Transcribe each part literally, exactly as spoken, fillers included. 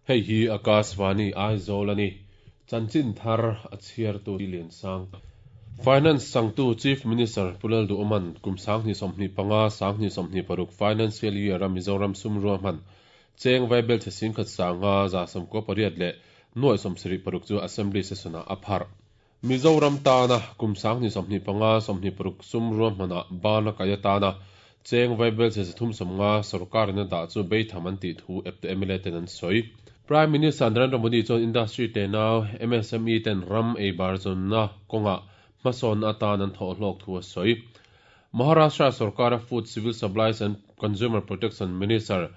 Hei hi Akashvani Aizawl ani. Chanchin thar a chhiartu Liansang. Finance changtu Chief Minister Pu Lalduhoma'n kum sanghnih sawmhnih panga sanghnih sawmhnih paruk Financial Year a Mizoram sum ruahman cheng vaibelchhe singkhat sanga za sawmkua pariat leh nuai sawmsarih paruk chu Assembly session-ah a pharh. Mizoram tana kum sanghnih sawmhnih panga sawmhnih paruk sum ruahmanah bana kai atana cheng vaibelchhe zathum sawmnga sorkarin a dah chu beitham an tih thu eptu M L A ten an sawi. Prime Minister Narendra Modi chuan industry tenau M S M E ten ram eibar zawnna kawngah hmasawn atan an thawh hlawk thu a sawi. Maharashtra sarkara Food, Civil Supplies and Consumer Protection Minister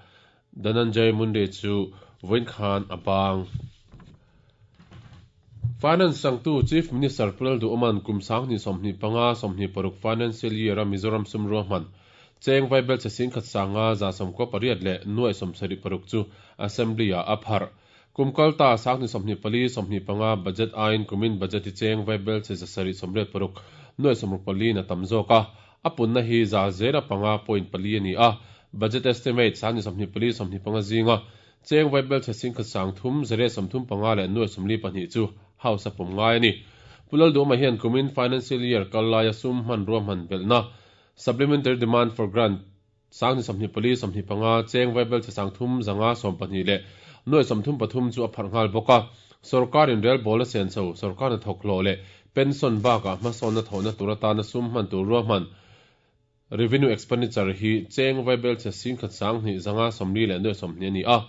Dhananjay Munde chu vawiin khan a bang. Finance changtu Chief Minister Pu Lalduhoma'n kum sanghnih sawmhnih panga sawmhnih paruk Financial Year a Mizoram sum ruahman cheng vaibelchhe singkhat sanga za sawmkua pariat leh nuai sawmsarih paruk chu Assembly-ah a pharh. Kum kalta sanghnih sawmhnih pali sawmhnih panga budget aiin kumin budget hi cheng vaibelchhe zasarih sawmriat paruk nuai sawmruk pali na tam zawk a. A punna hi za zela panga point pali ani a. Budget estimate sanghnih sawmhnih pali sawmhnih panga zinga cheng vaibelchhe singkhat sang thum zariat sawmthum panga leh nuai sawmli pahnih chu House a pawm ngai ani. Pu Lalduhoma hian kumin financial year kal laia sum hman ruahman belhna supplementary demand for grant sanghnih sawmhnih pali sawmhnih panga cheng vaibelchhe sang thum zanga sawm pahnih leh nuai sawmthum pathum chu a pharh nghal bawk a. Sarkarin rel bawl a sen chho sarkar hnathawk hlawh leh pension bakah hmasawnna thawhna tur atana sum hman tur ruahman revenue expenditure hi cheng vaibelchhe singkhat sanghnih zanga sawmli leh nuai sawmhnih ani a.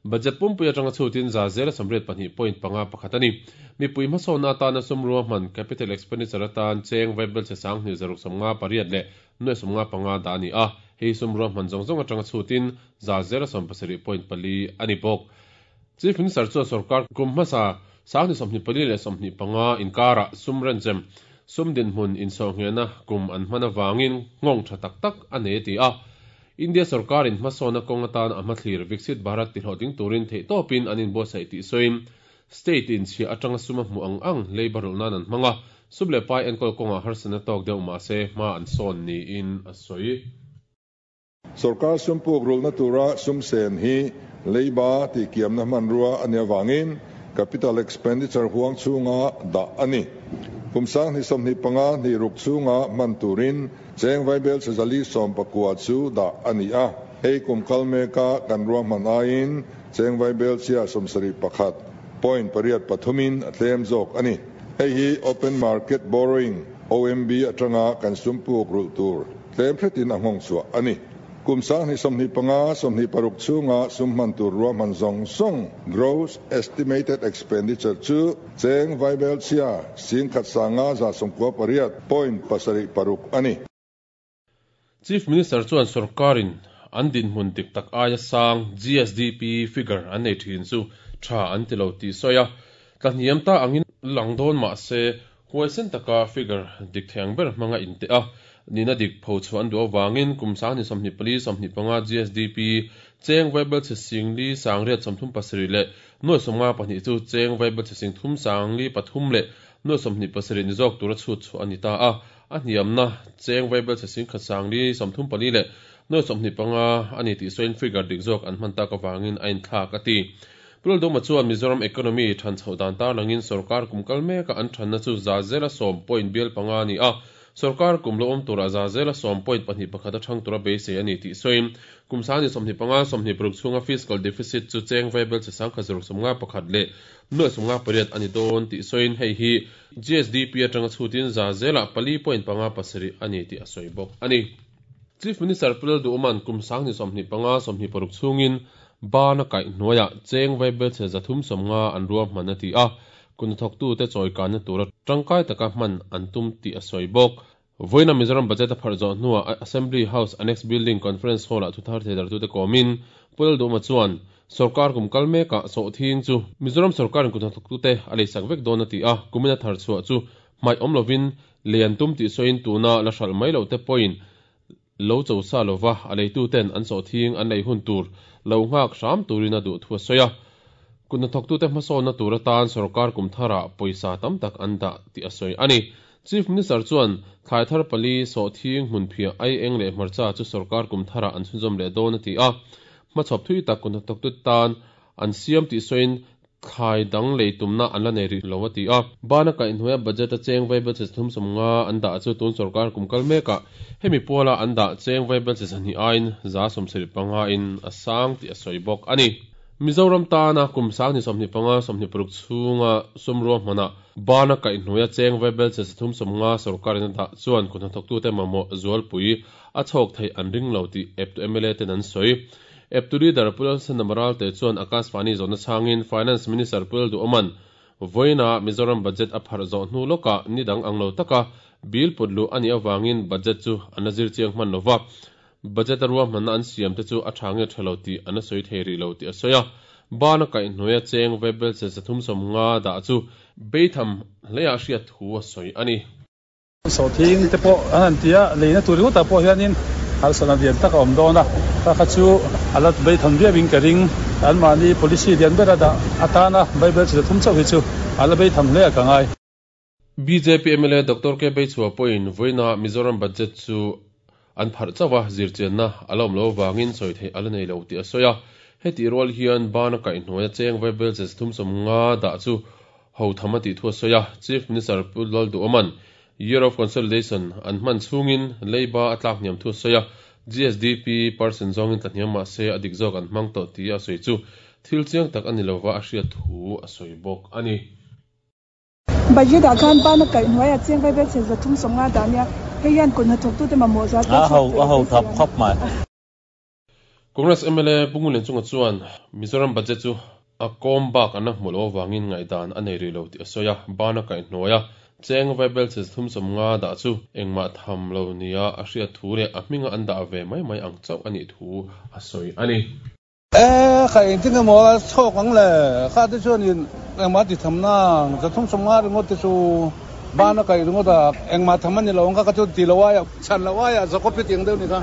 Budget pumpui atanga chhutin za zela sawmriat pahnih point panga pakhat ani. Mipui hmasawnna atana sum ruahman capital expenditure atan cheng vaibelchhe sanghnih zaruk sawmnga pariat leh nuai sawmnga panga dah ani a. Hei sum ruahman zawng zawng atanga chhutin za zela sawm pasarih point pali ani bawk. Chief Minister chuan sarkar kum hmasa sanghnih sawmhnih pali leh sawmhnih panga inkara sum renchem sum dinhmun insawhnghehna kum an hman awangin nghawng tha tak tak a nei ti a. India sarkarin hmasawnna kawng atan a hmathlir Viksit Bharat tihlawhtling turin theihtawpin an inbuatsaih tih sawiin state in chhiah atanga sum a hmu ang ang leiba rulh nan an hmang a. Sum leh pai enkawl kawngah harsatna tawk deuh mahse hma an sawn niin a sawi. Sarkar sum puk rulna tura sum sen hi leiba ti kiamna hmanrua ani awangin capital expenditure huang chunga dah ani. Kum sanghnih sawmhnih panga hnih ruk chunga hman turin cheng vaibelchhe zali sawm pakua chu dah ani a. Hei kum kal meka kan ruahman aiin cheng vaibelchhia sawmsarih pakhat point pariat pathumin a tlem zawk ani. Hei hi open market borrowing O M B atanga kan sum puk rulh tur tlem hretin a nghawng chhuah ani. Kum sanghnih sawmhnih panga sawmhnih paruk chunga sum hman tur ruahman zawng zawng gross estimated expenditure chu cheng vaibelchhia singkhat sanga za sawmkua pariat point pasarih paruk ani. Chief Minister chuan sarkarin an dinhmun dik tak aia sang G S D P figure an nei thin chu tha an ti lo tih sawi a. Tlahniam ta angin lang dawn mahse huaisen taka figure dik thei ber hmanga in te a. Nina dik pho chu an duh awangin kum sanghnih sawmhnih pali sawmhnih panga G S D P cheng vaibelchhe singli sangriat sawmthum pasarih leh nuai sawmnga pahnih chu cheng vaibelchhe singthum sangli pathum leh nuai sawmhnih pasarih ni zawk tura chhut chu ani ta a. A hniamna cheng vaibelchhe singkhat sangli sawmthum pali leh nuai sawmhnih panga ani tih sawiin figure dik zawk an hman tak awangin a inthlak a ti. Pu Lalduhoma chuan Mizoram economy than chhoh dan tar langin sarkar kum kal meka an thanna chu za zela sawm point bial panga ani a. Sarkar kum lo awm tura za zela sawm point pahnih pakhat a thang tura beisei ani tih sawiin kum sanghnih sawmhnih panga sawmhnih paruk chhunga fiscal deficit chu cheng vaibelchhe sangkhat zaruk sawmnga pakhat leh nuai sawmnga pariat ani dawn tih sawiin hei hi G S D P atanga chhutin za zela pali point panga pasarih ani tih a sawi bawk ani. Chief Minister Pu Lalduhoma'n kum sanghnih sawmhnih panga sawmhnih paruk chhungin bana kaih hnuaiah cheng vaibelchhe zathum sawmnga an ruahman a ti a. Kuhnathawktu te chawikanna tura tangkai taka hman an tum tih a sawi bawk. Vawiina Mizoram budget a pharh zawh hnuah Assembly House Annex Building Conference Hall ah thuthar theidartu te kawmin Pu Lalduhoma chuan sarkar kum kal mekah sawhthing chu Mizoram sarkarin kuhnathawktu te a leisak vek dawn a ti a. Kumina thar chhuah chu hmaih awm lovin lei an tum tih sawiin tuna la hralh mai lo te pawhin lo cho sa lova a leitu ten an sawhthing an lei hun tur lo nghak hram turin a duh thu a sawi a. Kuhnathawktu te hmasawnna tur atan sarkar kum tharah pawisa tam tak an dah tih a sawi ani. Chief Minister chuan thlai thar pali sawhthing hmun phiah ai eng leh hmarcha chu sarkar kum tharah an chhunzawm leh dawn a ti a. Hmachhawp thui tak kuhnathawktu tan an siam tih sawiin thlai dang lei tumna an la nei rih lo a ti a. Bana kaihhnuaia budget a cheng vaibel chhe thum sawmnga an dah chu tun sorkar kum kal mekah hemi puala an dah cheng vaibel chhe sahnih aiin za sawmsarih panga in a sang tih a sawi bawk a ni. Mizoram tana kum sang ni sawmhnih panga sawmhnih paruk chhunga sumrua hmanah bana kaihhnuaia cheng vaibel chhe thum sawmnga sorkarin a dah chuan kut hnathawktute mamawh zualpui a chhawk theih an ring lo tih eptu M L A ten an sawi. Eptu leader Pulal Sandamaral te chuan Akashvani zawhna changin Finance Minister Pulal Duoman voina Mizoram budget a pharh zawh hnu lawkah ni dang ang lo taka bill put lu ani awangin budget chu an la zir chiang hman lova. Budget a ruah hmanna an siam te chu a tha nge thalo tih an la sawi thei rih lo tih a sawi a. Bana kaihhnuaia cheng vaibel chhe thum sawmnga dah chu beitham hleiah hriat thu a sawi a ni. Sawhthing te pawh an han ti a, leina tur ringawtah pawh hianin harsatna lian tak a awm dawn a, kha kha chu a la beitham viauin ka ring. Anmahni policy lian ber a dah atana vaibel chhe thum chauh hi chu a la beitham hle a ka ngai. B J P M L A Doctor K Beichhua pawhin voina Mizoram budget chu an pharh chauh a zirchianna a la awm lo wangin sawi theih a la nei lo tih a sawi a. Heti rual hian bana kaihhnuaia cheng vaibel chhe thum sawmnga dah chu ho tham a tih thu a sawi a. Chief Minister Pulal Duoman Year of Consolidation an hman chhungin leiba a tlak hniam thu a sawi a. G S D P percent zawngin tla hniam mah se a dik zawk an hmang tawh tih a sawi chu thil chiang tak a ni lova a hriat thu a sawi bawk a ni. Budget ah khan bana kaihhnuaia cheng vaibel chhe zathum sawmnga dah nia hei hian kut hnathawktute mamawh zual A ho a ho thap khawp mai. Congress M L A Pungulen chunga chuan Mizoram budget chu a kawm bak an la hmu lo awangin ngaihdan a nei rih lo tih a sawi a. Bana kaihhnuaia cheng vaibel chhe thum sawmnga dah chu engmah tham lo nia a hriat thu leh a hminga an dah ve mai mai ang chauh a nih thu a sawi a ni. E kha eng tin emaw a chhawk ang le kha te chuanin engmah ti tham na zathum sawmnga ringawt te chu bana kaih ringawt a engmah tham a ni lo ang kha kha chu ti lo aia chhan lo aia zakawp hi tiang deuh ni kha.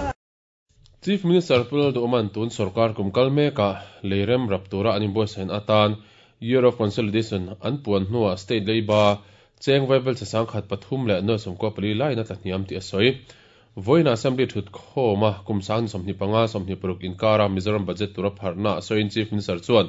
Chief Minister Pulal Duoman tun sorkar kum kal mekah leirem rap tura an inbuatsaih atan Year of Consolidation an puan hnuah state leiba cheng vaibel chhe sangkhat pathum leh nuai sawmkua pali lain a tla hniam tih a sawi. Voina Assembly thut khawma kum sang ni sawmhnih panga sawmhnih paruk inkara Mizoram budget tura pharhna a sawiin Chief Minister chuan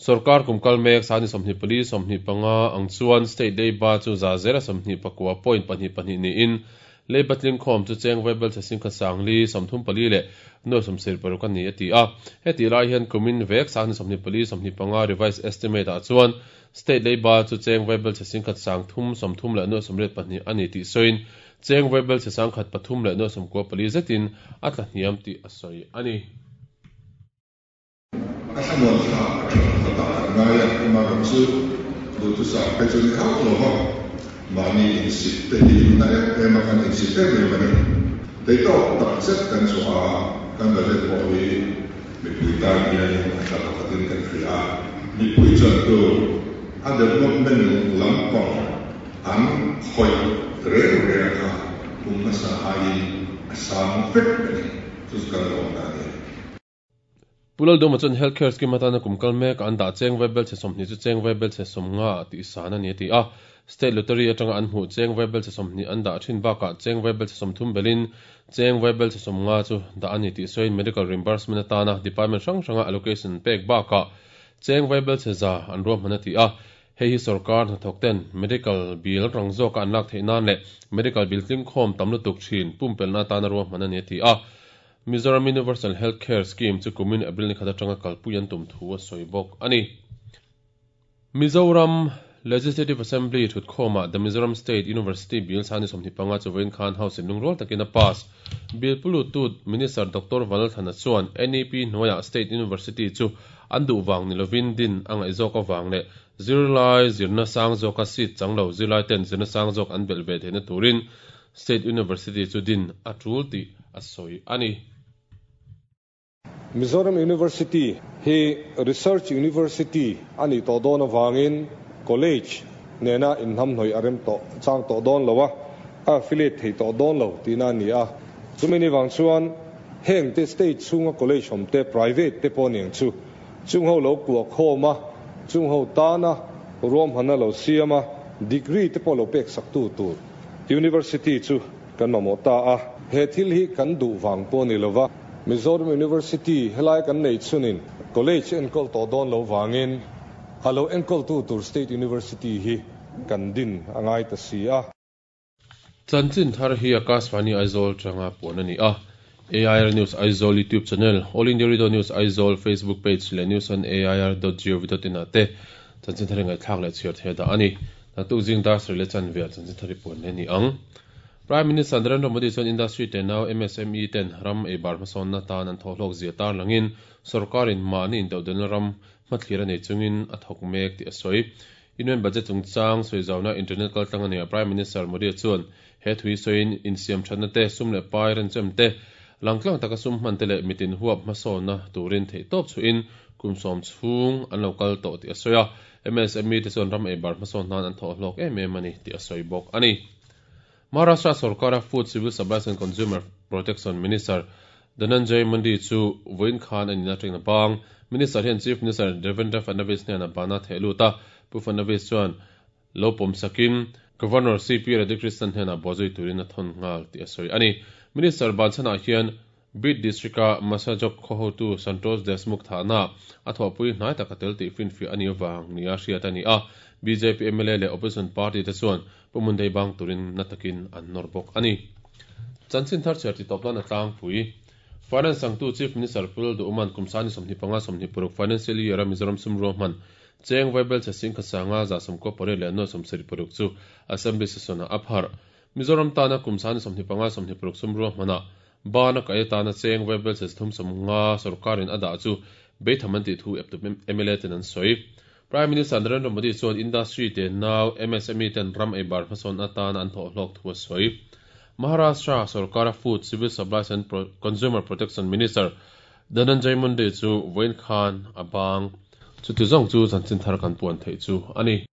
sorkar kum kal mek sang ni sawmhnih pali sawmhnih panga ang chuan state leiba chu za zela sawmhnih pakua point pahnih pahnih niin leiba tling khawm chu cheng vaibel chhe singkhat sangli sawmthum pali leh nuai sawmsarih paruk a ni a ti a. Heti lai hian kumin vek sang ni sawmhnih pali sawmhnih panga revised estimate ah chuan state leiba chu cheng vaibel chhe singkhat sang thum sawmthum leh nuai sawmriat pahnih a ni tih sawiin cheng vaibel chhe sangkhat pathum leh nuai sawmkua pali zetin a tla hniam tih a sawi a ni. A thlamuan thla a tha khatah an ngai a, amaherawh chu duhthusam phei chu ni hauh lo va, mahni insit te hi na em em a kan insit em em a ni. Theitawk tak zet kan chhuah a, kan budget pawh hi mipui tan hianin a tla pakhatin kan hria a, mipui chan tur a development lampang an khawih reng reng kha kum hmasa aiin a sang vek a ni. Chu chu kan lawm na a ni. Pulal Duoma chuan healthcare scheme atana kum kal mek an dah cheng vaibel chhe sawmhnih chu cheng vaibel chhe sawmnga tih san a ni a ti a. State lottery atanga an hmuh cheng vaibel chhe sawmhnih an dah thin bakah cheng vaibel chhe sawmthum belin cheng vaibel chhe sawmnga chu dah a ni tih sawiin medical reimbursement atana department hrang hranga allocation pek bakah cheng vaibel chhe za an ruahman a ti a. Hei hi sorkar hnathawk ten medical bill rang zawka an lak theih nan leh medical bill tling khawm tam lutuk thin pumpelna atana ruahman a ni a ti a. Mizoram Universal Healthcare Scheme chu kumin April ni khat atanga kalpui an tum thu a sawi bawk a ni. Mizoram Legislative Assembly thut khawmah the Mizoram State University Bill sani sawmhnih panga chu vawiin khan House in lungrual takin a pass. Bill pulutu Minister Doctor Vanlalthana chuan N E P hnuaiah State University chu an duh wang ni lovin din a ngaih zawk awang leh zirlai zirna sang zawka seat chang lo zirlai ten zirna sang zawk an belh ve theihna turin State University chu din a tul tih a sawi a ni. Mizoram University hi Research University ani to dawn awangin college nena inhnam hnoi a rem to chang to dawn lo a, a affiliate thei to dawn lo tina ni a. Chumi ni wang chuan heng te state chunga college hom te private te pawh niang chu chung ho lo kuah khawm a, chung ho tana ruam hana lo siam a, degree te pawh lo pek sak tu tur university chu kan mamawh ta a. He thil hi kan duh wang pawh ni lova, Mizoram University helai kan nei chunin college enkol to don lo wangin alo enkol tu tur State University hi kan din angai ta si a. Chanchin thar hi Akashvani Aizawl tanga puan ani a. A I R News Aizawl YouTube channel, All India Radio News Aizawl Facebook page le news on A I R dot gov dot in ate chanchin thar ngai thlak le chhiar the da ani. Na tu jing dar le chan ve chanchin thari puan ne ni ang. Prime Minister Narendra Modi chuan industry te nau M S M E ten ram ei bar hmasawn na tan an thawhlawk zia tar langin sarkarin mahni intodelhna ram hmathlir a nei chungin a thawk mek tih a sawi. Union Budget chungchang sawizauna internet kaltlang ani a. Prime Minister Modi chuan he thui sawiin insiam thatna te, sum leh pai renchem te, langtlang taka sum hman te leh mitin huap hmasawnna turin theihtawp chuin kum sawm chhung an lo kal tawh tih a sawi a. M S M E te chuan ram ei bar hmasawn nan an thawhlawk em em ani tih a sawi bawk ani. Maharashtra Sarkara Food, Civil Supplies and Consumer Protection Minister Dhananjay Munde chu voin khan ani na tengna bang. Minister hian Chief Minister Devendra Fadnavis hnen a bana thehluta Pu Fadnavis chuan lo pawm sakin Governor C P Radhakrishnan hnen a bawzui turin a thon ngal tih a sawi ani. Minister banchana hian Beed District-a Masajog khaw hotu Santosh Deshmukh thahna a thawhpui hnai taka tel tih finfi ani awang nia hriat ani a. B J P M L A leh opposition party te chuan Pu Munde bang turin na takin an nawr bawk ani. Chanchin thar chhiar ti tawp lan a tlangpui. Finance sangtu Chief Minister Pu Lalduhoma'n kum sani sawmhnih panga sawmhnih paruk financial year a Mizoram sumruah hman cheng vaibelchhe sing khasanga za sawmkaw pariat leh nuai sawmsarih paruk chu Assembly session a phar. Mizoram tana kum sani sawmhnih panga sawmhnih paruk sumruah hmana bana ka tana cheng vaibelchhe thum sawmnga sarkarin a dah chu beitham an tih thu eptu M L A ten an sawi. Prime Minister Narendra Modi chuan industry te nau M S M E ten ram ei bar hmasawn atan an thawhhlawk thu a sawi. Maharashtra Sarkara Food, Civil Supplies and Pro Consumer Protection Minister Dhananjay Munde chu voin khan a bang. Chuti zawng chu chanchin thar kan puan theih chu ani.